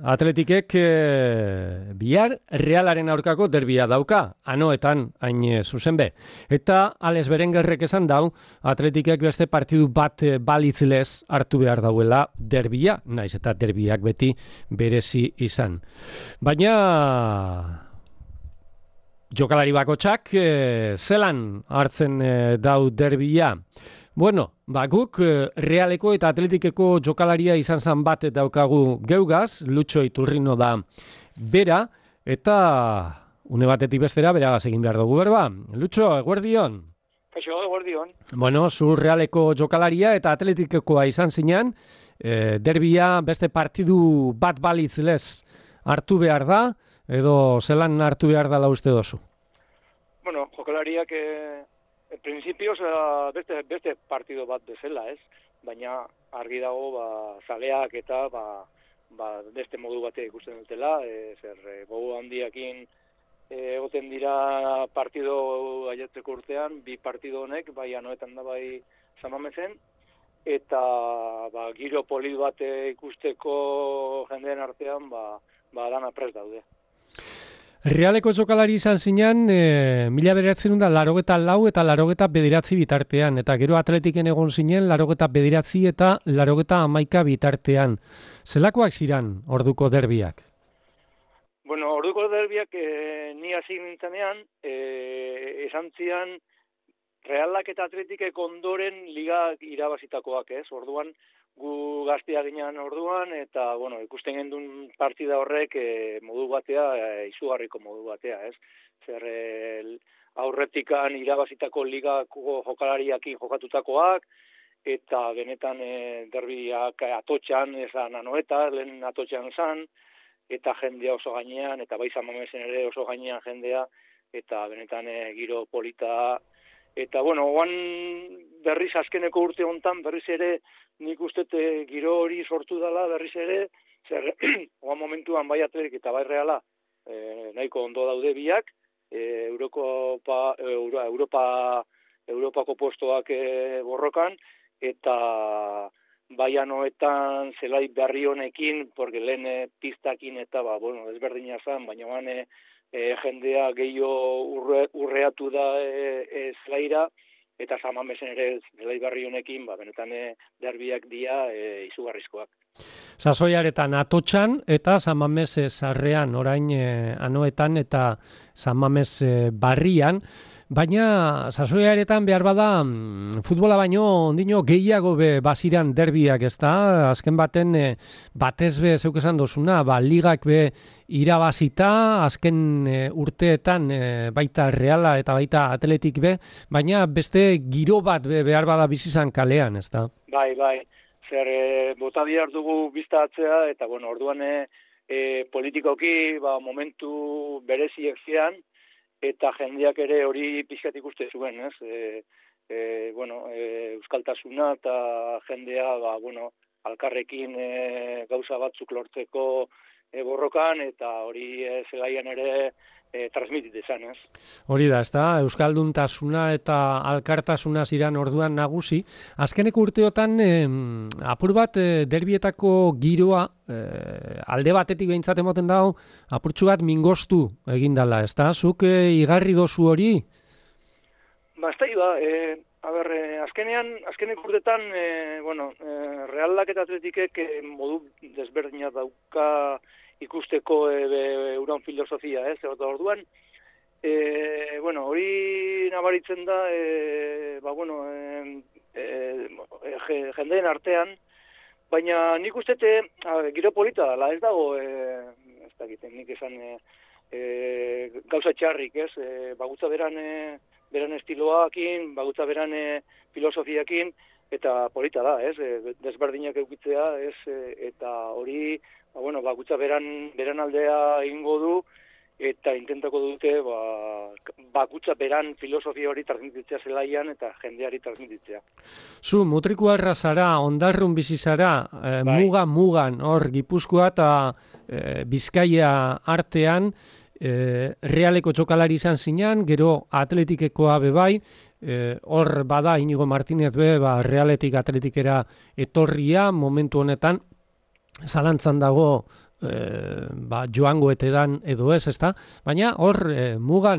Atletikek bihar Realaren aurkako derbia dauka, anoetan hain zuzen be. Eta Alex Berengerrek esan dau, Atletikek beste partidu bat balitzilez hartu behar dauela derbia, naiz eta derbiak beti berezi izan. Baina jokalari bakotsak zelan hartzen dau derbia. Bueno, guk Realeko eta Atletikeko jokalaria izan zan bat daukagu geugaz, Lutxo Iturrino da bera, eta une batetik bestera beragaz egin behar dugu berba. Lutxo, eguerdion? Kaixo, eguerdion. Bueno, zu Realeko jokalaria eta Atletikekoa izan zinean, derbia beste partidu bat balitzilez hartu behar da, edo zelan hartu behar dela uste dozu? Bueno, jokalariak en principio beste partido bat bezala, ez? Baina argi dago zaleak eta beste modu bate ikusten dutela, gogo handiakin egoten dira partido aiatzeko urtean, bi partido honek, bai anoetan da bai Samamezen, eta giro polit bat ikusteko jendeen artean dana prest daude. Realeko jokalari izan zinean, 1984 eta 89 bitartean, eta gero Atletiken egon zinen 89 eta 91 bitartean. Zelakoak ziren orduko derbiak? Bueno, orduko derbiak ni hasi nintzenean, esan zian Realak eta Atletikek ondoren liga irabazitakoak, ez? Orduan, gu gaztea ginean orduan, eta, bueno, ikusten gendun partida horrek modu batea, izugarriko modu batea, ez? Zer aurretikan irabazitako ligako jokalariakin jokatutakoak, eta benetan derbiak atotxan, esan anoeta, lehen atotxan zan, eta jendea oso gainean, eta bai Samamezen ere oso gainean jendea, eta benetan giro polita. Eta, bueno, oan berriz azkeneko urte hontan, berriz ere nik uste giro hori sortu dela, berriz ere, zer, oan momentuan bai Atletik eta bai Reala nahiko ondo daude biak, Europako postoak borrokan, eta bai anoetan zelai berri honekin, porque lehen piztakin eta, ezberdina zan, baina jendea gehiago urreatu da zelaira, eta Samamezen ere zelai berri honekin, benetan derbiak dia izugarrizkoak. Sasoiaretan atotxan eta Samamez sarrean, orain anoetan eta Samamez barrian, baina sasoiaretan behar bada futbola baino ondino gehiago baziran derbiak, ezta? Azken baten batez be zeuk esan dozuna, ligak irabazita, azken urteetan baita Reala eta baita Atletik baina beste giro bat behar bada bizizan kalean, ezta? Bai, zer bota bihar dugu bizta atzea, eta bueno, orduan politikoki momentu bereziek zian, eta jendeak ere hori pixkat ikuste zuen, ez? Euskaltasuna eta jendea, alkarrekin gauza batzuk lortzeko borrokan, eta hori zelaian ere transmititu izan, ez? Hori da, ezta? Euskalduntasuna eta alkartasuna ziren orduan nagusi. Azkeneko urteotan apur bat derbietako giroa alde batetik behintzat emoten dago apurtxu bat mingostu egindala, ezta? Zuk igarri dozu hori? Azkeneko urteetan, Realak eta Atletikek modu desberdina dauka ikusteko euran filosofia, ez? Orduan, hori nabaritzen da, jendeen artean, baina nik ustete, giro polita dela, ez dago, ez dakiten, nik esan gauza txarrik, ez? Bagutza beran estiloakin, bagutza beran filosofiakin, eta polita da, ez? Desberdinak eukitzea, ez? Eta hori, bakutza beran aldea egingo du, eta intentako dute bakutza beran filosofia hori transmititzea zelaian eta jendeari transmititzea. Zu, mutrikuarra zara, ondarrun bizi zara, mugan, hor, Gipuzkoa eta Bizkaia artean, Realeko txokalari izan zinean, gero Atletikekoa bebai, hor bada Inigo Martínez Realetik Atletikera etorria momentu honetan, zalantzan dago joango etedan edo ez, ezta? Baina hor, mugea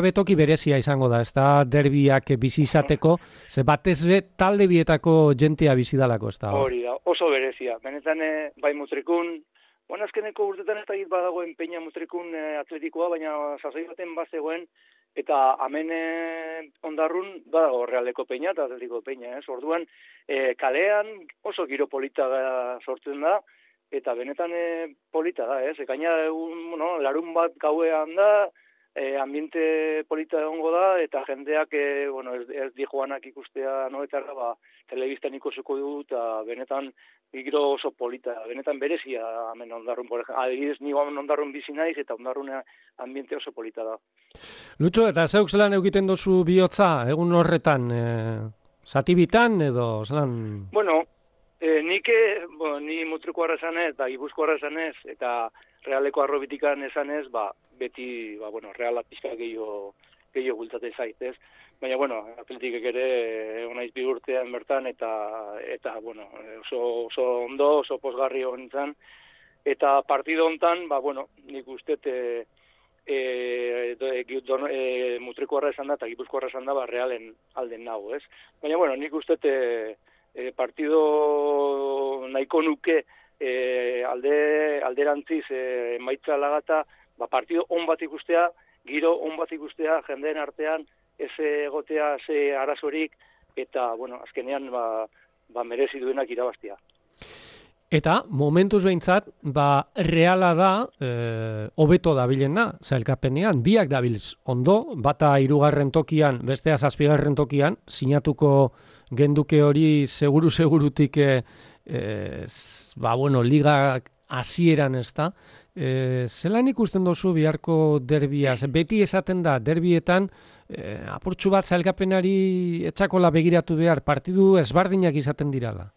betoki berezia izango da, ezta derbiak bizi izateko, ze batez be talde bietako jentea bizidalako, ezta? Hori da, oso berezia. Benetan, bai Mutrikun, azkeneko urtetan ez da badagoen Peña Mutrikun atletikoa, baina sasoi baten bazegoen, eta hemen Ondarrun badago Realeko Peña eta Atletiko Peña, ez? Orduan, kalean oso giro polita sortzen da, eta benetan polita da, ez? Gaina larun bat gauean da, ambiente polita egongo da, eta jendeak, ez di joanak ikustea noetarra, telebistan ikusiko du, eta benetan giro oso polita, benetan berezia hemen Ondarrun, adibidez ni Ondarrun bizi naiz, eta Ondarrun ambiente oso polita da. Lutxo, eta zeuk zelan egiten dozu bihotza, egun horretan, zatibitan edo zelan? Bueno, ni Mutrikuarra esanez, eta Gipuzkoarra esanez, eta Realeko Arrobitikan esanez, beti, Reala pixka gehiago bultzate zaitez. Baina, Atletikek ere onaiz bi urtean bertan, eta oso ondo, oso pozgarri honetan. Eta partido honetan, nik uste Mutrikuarra esan da, eta Gipuzkoarra esan da, Realen alden nago, ez? Baina, nik uste partido nahiko nuke alderantziz emaitza lagata, partido on bat ikustea, giro on bat ikustea, jendeen artean, ez egotea, ze arazorik, eta, azkenean, merezi duenak irabaztia. Eta, momentuz behintzat, Reala da, hobeto dabilena, zailkapenean, biak dabilz ondo, bata 3. tokian, bestea 7. tokian, sinatuko genduke hori segurutik, liga hasieran ez da. Zelan ikusten dozu biharko derbia? Beti esaten da, derbietan, apurtxu bat zailkapenari etxakola begiratu behar, partidu ezbardinak izaten dirala.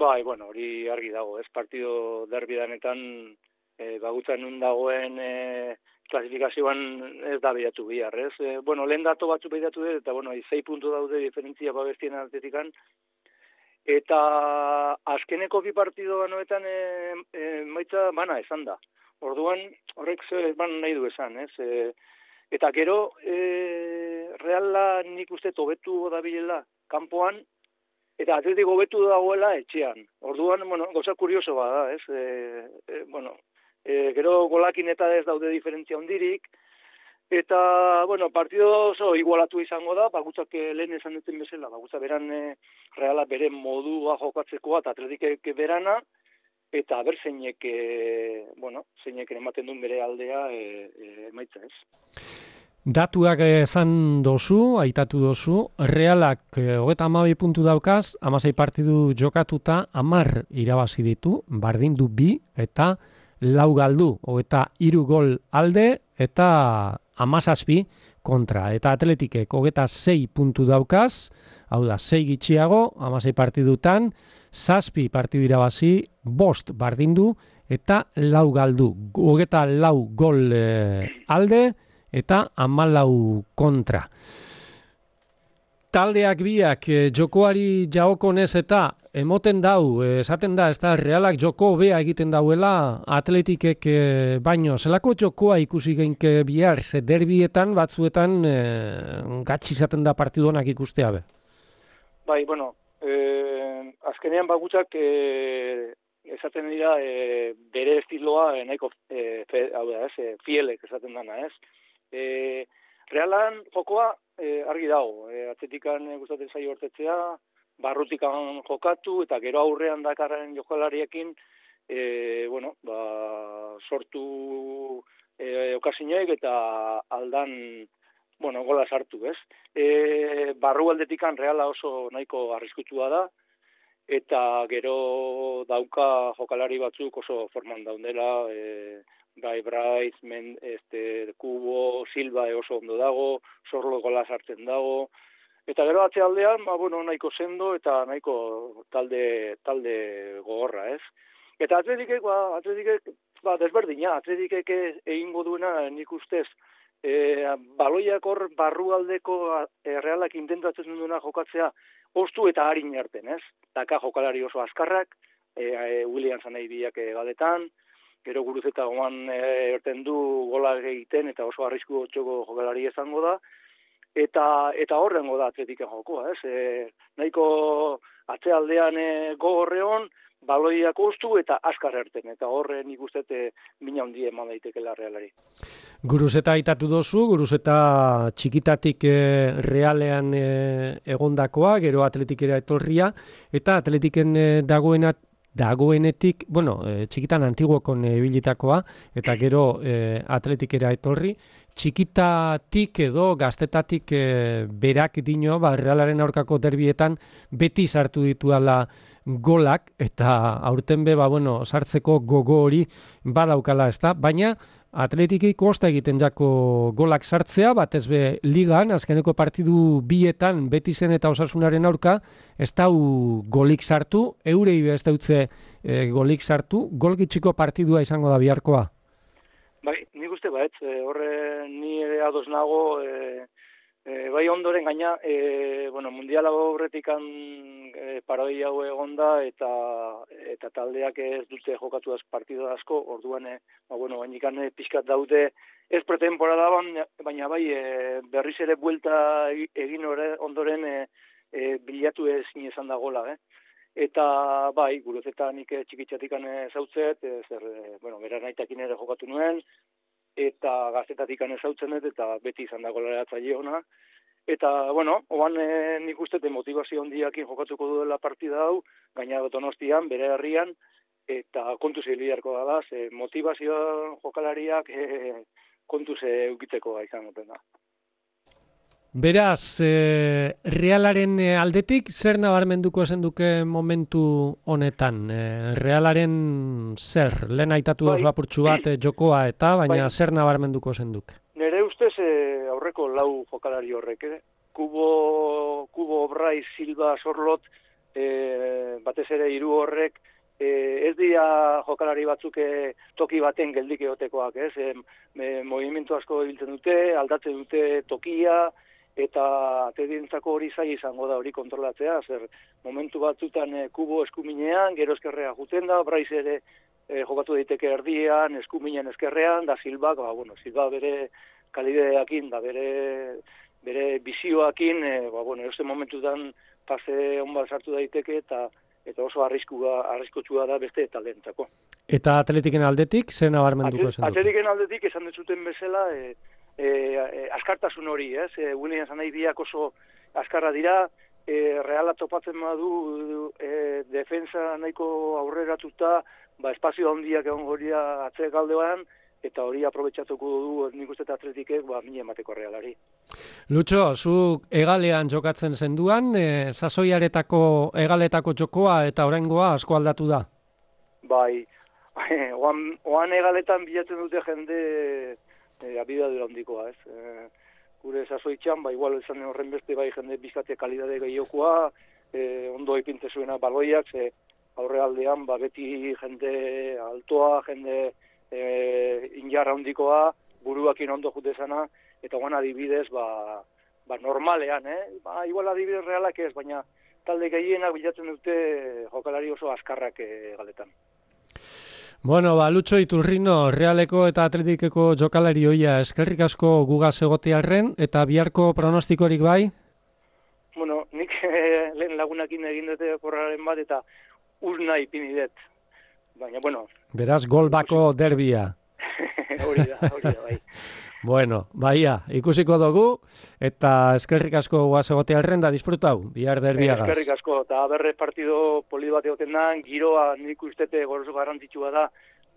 Hori argi dago, ez partido derbidanetan bagutzen nun dagoen klasifikazioan ez da behiratu bihar, ez? Lehen dato batzu behiratu dut, eta 6 puntu daude diferentzia babestien Atletikan, eta azkeneko bi partido banoetan maitza bana esan da. Orduan, horrek ban nahi du esan, ez? Eta gero, Reala nik uste hobetu dabilela kanpoan, eta Atletiko hobetu dagoela etxean. Orduan, gauza kurioso bada, ez? Gero golakin eta ez daude diferentzia hondirik, eta, partido oso igualatu izango da, bagutzak lehen esan duten bezala, bagutza beran Reala bere modua jokatzekoa, eta Atletikek berana, eta ber zeinek ematen duen bere aldea emaitza, ez? Datuak esan dozu, aitatu dozu, Realak 32 puntu daukaz, 16 partidu jokatuta, 10 irabazi ditu, bardin du 2 eta 4 galdu, 23 gol alde eta 17 kontra. Eta Atletikek 26 puntu daukaz, hau da, 6 gitxiago, 16 partidutan, 7 partidu irabazi, 5 bardin du eta 4 galdu, 24 gol alde, eta 14 kontra. Taldeak biak jokoari jaokonez eta emoten dau, esaten da, ez da, Realak joko hobea egiten dauela Atletikek baino. Zelako jokoa ikusi geinke bihar, ze derbietan batzuetan gatsi izaten da partidonak ikustea be? Azkenean bagutzak esaten dira bere estiloa nahiko fielek esaten dana, ez? Realan jokoa argi dago, Atletikan gustatzen zaio hortetzea, barrutikan jokatu, eta gero aurrean dakarren jokalariekin, sortu okasiñoek eta aldan, gola sartu, ez? Barru aldetikan Reala oso nahiko arriskutua da, eta gero dauka jokalari batzuk oso forman daudela, Bryce, Kubo, Silva oso ondo dago, Sorlo gola sartzen dago, eta gero atzealdean, nahiko sendo eta nahiko talde gogorra, ez? Eta Atletikek desberdina, Atletikek egingo duena nik ustez, baloiak hor barrualdeko Realak intentatzen duena jokatzea, ostu eta harin erten, ez? Daka jokalari oso azkarrak, Williams nahi biak galetan, gero Guruzeta goan erten du gola egiten eta oso arrisku txoko jokalari izango da, eta horrengo da Atletiken jokoa, ez? Nahiko atzealdean gogorreon, baloiak ostu eta askar erten, eta horren ikustet mina handia eman daitekela Realari. Guruzeta aitatu dozu, Guruzeta txikitatik Realean egondakoa, gero Atletikera etorria, eta Atletiken dagoenetik, txikitan Antiguokon ibilitakoa, eta gero Atletikera etorri, txikitatik edo gaztetatik berak dino, Realaren aurkako derbietan beti sartu dituala golak, eta aurten sartzeko gogo hori badaukala, ezta? Baina Atletiki kosta egiten jako golak sartzea, batez be ligan, azkeneko partidu bietan Betizen eta Osasunaren aurka, ez dau golik sartu, eurei ez dautze golik sartu, golgitxiko partidua izango da biharkoa. Bai, nik uste horre ni ere ados nago, bai ondoren gaina, mundiala horretikan paroi hau egonda eta taldeak ez dute jokatu partidu asko, orduan, gainikan pixkat daude ez pretemporada baina bai berriz ere buelta egin ondoren bilatu ezin izan da gola, Eta bai, Guruzeta nik txikitzatikan zautzet, bera naitakin ere jokatu nuen, eta gaztetatikan ezautzen dut, eta beti izan da golaratzaile ona. Eta, oan nik uste motivazio handiakin jokatuko duela partida hau, gaina Donostian, bere herrian, eta kontuz biliarko da, motivazio jokalariak kontuz eukitzeko izan duten da. Beraz, Realaren aldetik, zer nabarmenduko esan duke momentu honetan? Realaren zer? Lehen aitatu dozu apurtxu bat jokoa eta, baina zer nabarmenduko esan duke? Nere ustez aurreko lau jokalari horrek, Kubo, Brais, Silva, Sorlot, batez ere hiru horrek, ez dira jokalari batzuk toki baten geldik egotekoak, movimentu asko ibiltzen dute, aldatzen dute tokia, eta atedientzako hori zai izango da hori kontrolatzea, zer momentu batzutan Kubo eskuminean, gero eskerrea juten da, Brais ere jokatu daiteke erdian, eskuminen eskerrean, da Silva, Silva bere kalideakin, da bere bizioakin, eroste momentutan pase honbat sartu daiteke, eta oso arriskutsua da beste taldentzako. Eta Atletiken aldetik, zer nabarmenduko esan dut? Atletiken aldetik esan dut bezala, askartasun hori, Williams nahi biak oso askarra dira, Reala topatzen badu defensa nahiko aurreratuta, espazio handiak egon goria atzek aldean, eta hori aprobetxatuko du nik uste Atletikek mine emateko Realari. Lutxo, zuk egalean jokatzen zenduan, sasoiaretako egaletako jokoa eta oraingoa asko aldatu da? Bai, oan egaletan bilatzen dute jende abidadura handikoa, gure sasoitxan, igual esan horren beste bai jende bizkate kalidade gehiokoa, ondo ipinte zuena baloiak, aurrealdean beti jende altoa, jende injarra handikoa, buruakin ondo jutezana, eta guan adibidez, normalean, igual adibidez Realak ez, baina talde gehienak bilatzen dute jokalari oso askarrak galetan. Lutxo Iturrino, Realeko eta Atletikeko jokalari hoia, eskerrik asko gugaz egotearren, eta biharko pronostikorik bai? Nik lehen lagunakin egin dute korraren bat, eta urna ipini dut. Baina, beraz, gol bako derbia. Hori da, bai. Baia, ikusiko dugu, eta eskerrik asko guaz egotearren da disfrutau, bihar derbiagaz. Eskerrik asko, eta berre partido poli bat egoten da, giroa nik ustete goroso garrantzitsua da,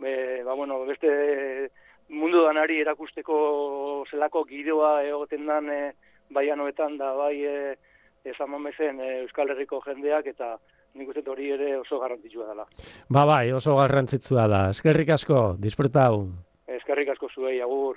beste mundu danari erakusteko zelako giroa egoten dan baianoetan da, bai esan mamezen Euskal Herriko jendeak, eta nik uste hori ere oso garrantzitsua dela. Bai, oso garrantzitsua da. Eskerrik asko, disfrutau. Eskerrik asko zuei, agur.